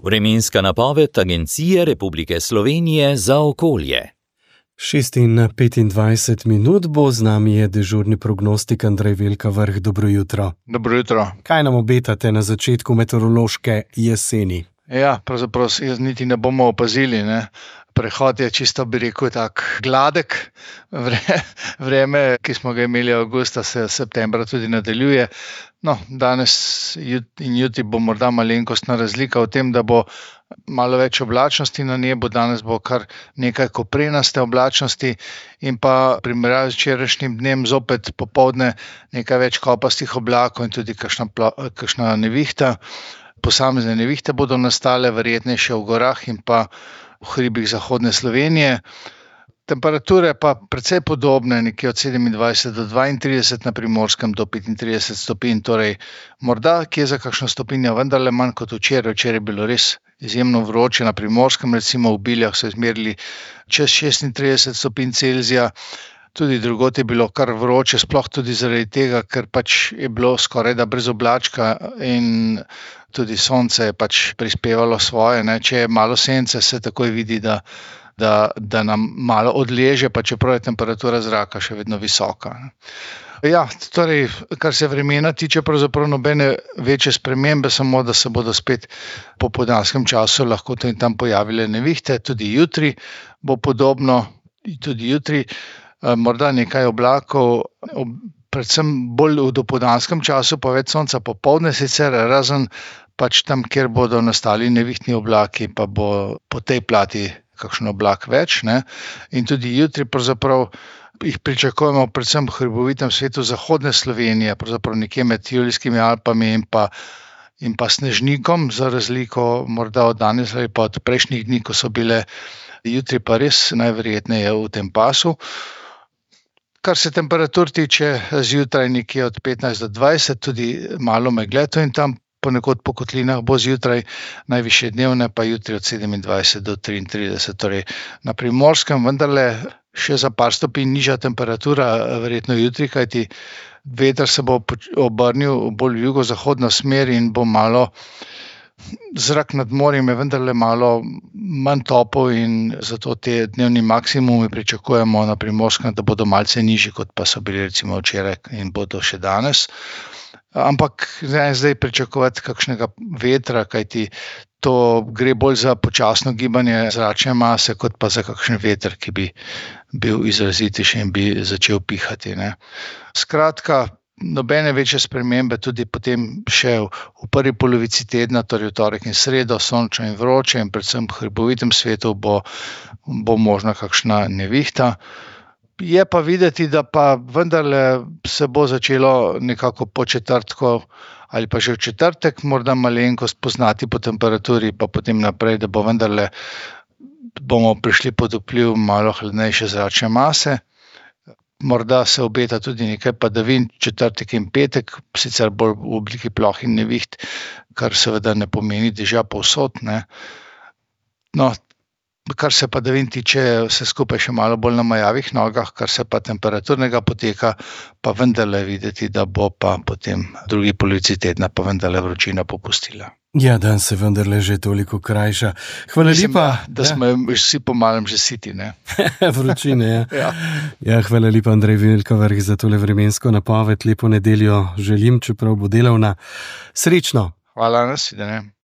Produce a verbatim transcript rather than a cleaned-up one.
Vremenska napoved Agencije Republike Slovenije za okolje. šest in petindvajset minut bo z nami je dežurni prognostik Andrej Velkavrh. Dobro jutro. Dobro jutro. Kaj nam obetate na začetku meteorološke jeseni? Ja, pravzaprav jaz niti ne bomo opazili, ne. Prehod je čisto, bi rekel, tak gladek. Vre, vreme, ki smo ga imeli avgusta, se septembra tudi nadaljuje. No, danes in jutri bo morda malenkostna razlika v tem, da bo malo več oblačnosti na nebu, danes bo kar nekaj koprenaste oblačnosti in pa primerjavi z včerajšnjim dnem zopet popoldne nekaj več kopastih oblakov in tudi kakšna, kakšna nevihta. Posamezne nevihte bodo nastale, verjetnejše v gorah in pa v hribih zahodne Slovenije. Temperature pa precej podobne, nekje od sedemindvajset do dvaintrideset, na Primorskem do petintrideset stopinj, torej morda kje za kakšno stopinjo vendarle manj kot včeraj. Včeraj je bilo res izjemno vroče, na Primorskem recimo v Biljah so izmerili čez šestintrideset stopinj Celzija. Tudi drugod je bilo kar vroče, sploh tudi zaradi tega, ker pač je bilo skorajda brez oblačka in tudi sonce je pač prispevalo svoje, ne. Če je malo sence, se takoj vidi, da, da, da nam malo odleže, pa čeprav je temperatura zraka še vedno visoka. Ja, torej, kar se vremena tiče, pravzaprav nobene večje spremembe, samo da se bodo spet po popoldanskem času lahko tu in tam pojavile nevihte. Tudi jutri bo podobno, tudi jutri morda nekaj oblakov, predvsem bolj v dopoldanskem času, pa več sonca popoldne sicer, razen pač tam, kjer bodo nastali nevihtni oblaki, pa bo po tej plati kakšen oblak več, ne. In tudi jutri pravzaprav jih pričakujemo predvsem v hribovitem svetu zahodne Slovenije, pravzaprav nekje med Julijskimi Alpami in pa, in pa Snežnikom, za razliko morda od danes ali pa od prejšnjih dni, ko so bile jutri pa res najverjetneje v tem pasu. Kar se temperatur tiče, zjutraj nekje od petnajst do dvajset, tudi malo megle tu in tam, ponekod po kotlinah bo zjutraj, najvišje dnevne pa jutri od sedemindvajset do triintrideset, torej na Primorskem vendarle še za par stopinj nižja temperatura, verjetno jutri, kajti veter se bo obrnil bolj v jugozahodno smer in bo malo zrak nad morjem je vendarle malo manj topel in zato te dnevni maksimumi pričakujemo na Primorskem, da bodo malce nižji, kot pa so bili recimo včeraj in bodo še danes. Ampak ne zdaj pričakovati kakšnega vetra, kajti to gre bolj za počasno gibanje zračne mase, kot pa za kakšen veter, ki bi bil izrazitejši in bi začel pihati, ne. Skratka, nobene večje spremembe, tudi potem še v prvi polovici tedna, torej v torek in sredo, sončno in vroče in predvsem v hribovitem svetu bo, bo možna kakšna nevihta. Je pa videti, da pa vendarle se bo začelo nekako po četrtku ali pa že v četrtek morda malenkost poznati po temperaturi, pa potem naprej, da bo vendarle bomo prišli pod vpliv malo hladnejše zračne mase. Morda se obeta tudi nekaj padavin četrtek in petek, sicer bolj v obliki ploh in neviht, kar seveda ne pomeni dežja povsod, ne. No, kar se padavin tiče, vse skupaj še malo bolj na majavih nogah, kar se pa temperaturnega poteka, pa vendarle videti, da bo pa potem v drugi polovici tedna pa vendarle vročina popustila. Ja, dan se vendarle že toliko krajša. Hvala Mislim, lepa. Da, da smo vsi po malem že siti, ne. Vročine, ja. Ja. Ja, hvala lepa, Andrej Velkavrh, za tole vremensko napoved. Lepo nedeljo želim, čeprav bo delovna. Srečno! Hvala, nasvidenje.